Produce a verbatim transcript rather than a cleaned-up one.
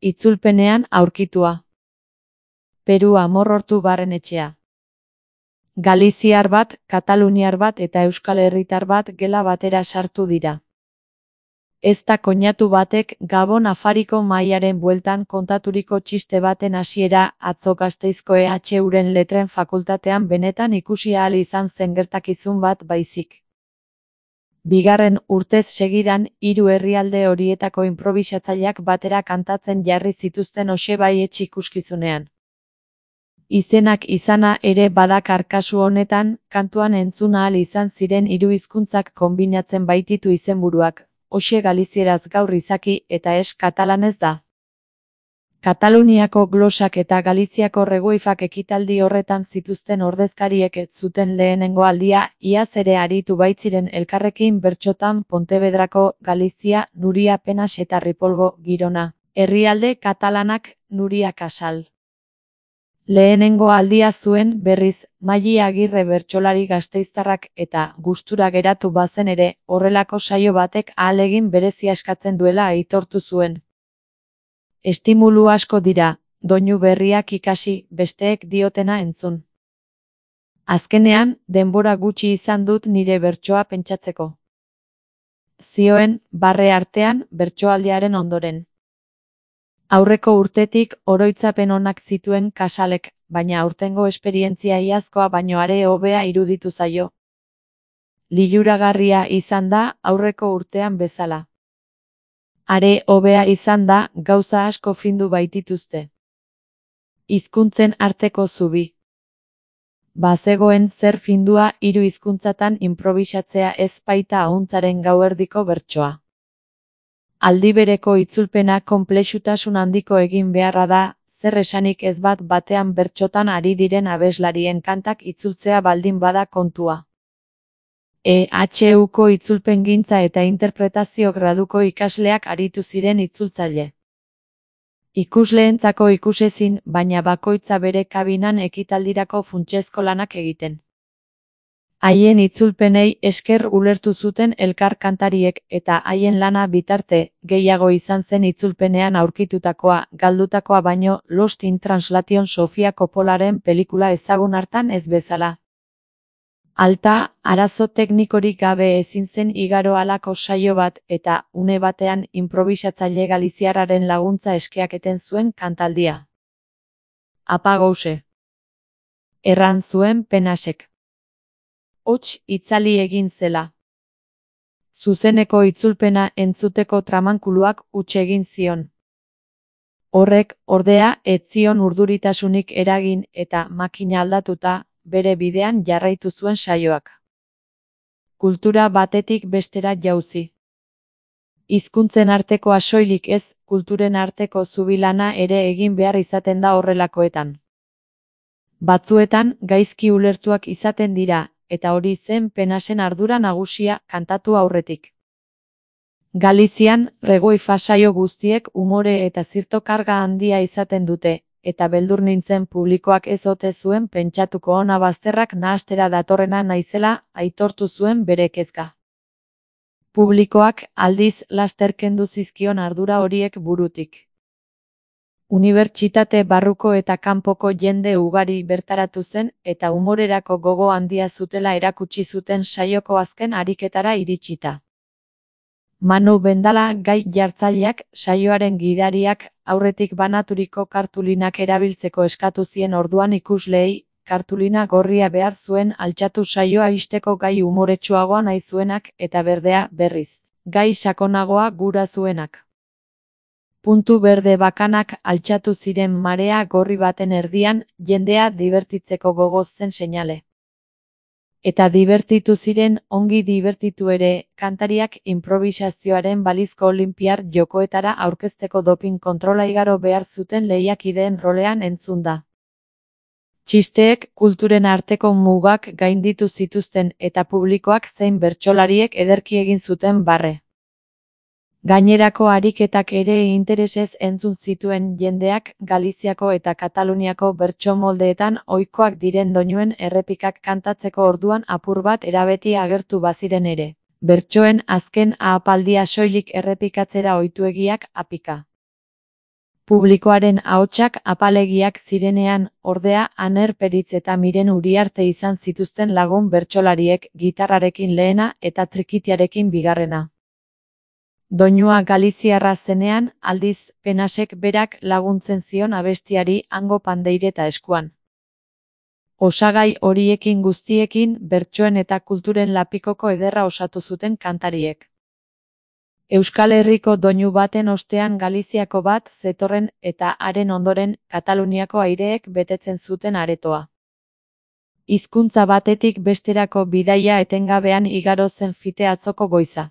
itzulpenean aurkitua. Peru amorrortu barrenetxea. Galiziar bat, kataluniar bat eta euskal herritar bat gela batera sartu dira. Ez da koinatu batek Gabon Afariko mahaiaren bueltan kontaturiko txiste baten hasiera atzo Gasteizko E H Uren letren fakultatean benetan ikusi ahal izan zen gertakizun bat baizik. Bigarren urtez segidan, hiru herrialde horietako inprobisatzaileak batera kantatzen jarri zituzten hoxe baietx ikuskizunean. Izenak izana ere badakar kasu honetan, kantuan entzun ahal izan ziren hiru hizkuntzak konbinatzen baititu izenburuak. Hoxe galizieraz gaur izaki eta ez katalanez da. Kataluniako glosak eta Galiziako regoifak ekitaldi horretan zituzten ordezkariek ez zuten lehenengo aldia, iaz ere aritu baitziren elkarrekin bertsotan Pontevedrako, Galizia, Nuria Penas eta Ripolgo, Girona, herrialde katalanak, Nuria Casal. Lehenengo aldia zuen, berriz, Maili Agirre bertsolari gasteiztarrak eta gustura geratu bazen ere, horrelako saio batek ahalegin berezia eskatzen duela aitortu zuen. Estimulu asko dira, doinu berriak ikasi, besteek diotena entzun. Azkenean, denbora gutxi izan dut nire bertsoa pentsatzeko. Zioen, barre artean, bertsoaldiaren ondoren. Aurreko urtetik oroitzapen onak zituen Casalek, baina aurtengo esperientzia iazkoa baino are hobea iruditu zaio. Liluragarria izan da aurreko urtean bezala. Are hobea izan da gauza asko findu baitituzte. Hizkuntzen arteko zubi. Bazegoen zer findua hiru hizkuntzatan inprobisatzea ez baita ahuntzaren gauerdiko bertsoa. Aldibereko itzulpena konplexutasun handiko egin beharra da, zer esanik ez bat batean bertsotan ari diren abeslarien kantak itzultzea baldin bada kontua. E H Uko itzulpengintza eta interpretazio graduko ikasleak aritu ziren itzultzaile. Ikusleentzako ikusezin, baina bakoitza bere kabinan ekitaldirako funtsezko lanak egiten. Haien itzulpenei esker ulertu zuten elkar kantariek eta haien lana bitarte, gehiago izan zen itzulpenean aurkitutakoa, galdutakoa baino, Lost in Translation Sofia Coppolaren pelikula ezagun hartan ez bezala. Alta, arazo teknikorik gabe ezin zen igaro halako saio bat eta, une batean, inprobisatzaile galiziarraren laguntza eskiaketen zuen kantaldia. Apagause. Erran zuen Penasek. Hots itzali egin zela. Zuzeneko itzulpena entzuteko tramankuluak huts egin zion. Horrek, ordea, ez zion urduritasunik eragin eta makina aldatuta, bere bidean jarraitu zuen saioak. Kultura batetik bestera jauzi. Hizkuntzen artekoa soilik ez, kulturen arteko zubilana ere egin behar izaten da horrelakoetan. Batzuetan, gaizki ulertuak izaten dira, eta hori zen Penasen ardura nagusia kantatu aurretik. Galizian, regoifa saio guztiek umore eta zirto karga handia izaten dute, eta beldur nintzen publikoak ez ote zuen pentsatuko ona bazterrak nahastera datorrena naizela, aitortu zuen bere kezka. Publikoak, aldiz, laster kendu zizkion ardura horiek burutik. Unibertsitate barruko eta kanpoko jende ugari bertaratu zen eta umorerako gogo handia zutela erakutsi zuten saioko azken ariketara iritsita. Manu Bendala gai jartzaileak, saioaren gidariak, aurretik banaturiko kartulinak erabiltzeko eskatu zien orduan ikusleei, kartulina gorria behar zuen altxatu saioa ixteko gai umoretsuagoa nahi zuenak eta berdea, berriz, gai sakonagoa gura zuenak. Puntu berde bakanak altxatu ziren marea gorri baten erdian, jendea dibertitzeko gogoz zen seinale. Eta dibertitu ziren, ongi dibertitu ere, kantariak inprobisazioaren balizko olinpiar jokoetara aurkezteko doping kontrola igaro behar zuten lehiakideen rolean entzun da. Txisteek kulturen arteko mugak gainditu zituzten eta publikoak zein bertsolariek ederki egin zuten barre. Gainerako ariketak ere interesez entzun zituen jendeak Galiziako eta Kataluniako bertso moldeetan ohikoak diren doinuen errepikak kantatzeko orduan apur bat erabeti agertu baziren ere. Bertsoen azken ahapaldia soilik errepikatzera ohituegiak apika. Publikoaren ahotsak apalegiak zirenean, ordea, Aner Peritz eta Miren Uriarte izan zituzten lagun bertsolariek, gitarrarekin lehena eta trikitiarekin bigarrena. Doinua galiziarra zenean, aldiz, Penasek berak laguntzen zion abestiari hango pandeireta eskuan. Osagai horiekin guztiekin, bertsoen eta kulturen lapikoko ederra osatu zuten kantariek. Euskal Herriko doinu baten ostean Galiziako bat zetorren eta haren ondoren Kataluniako aireek betetzen zuten aretoa. Hizkuntza batetik besterako bidaia etengabean igaro zen fite atzoko goiza.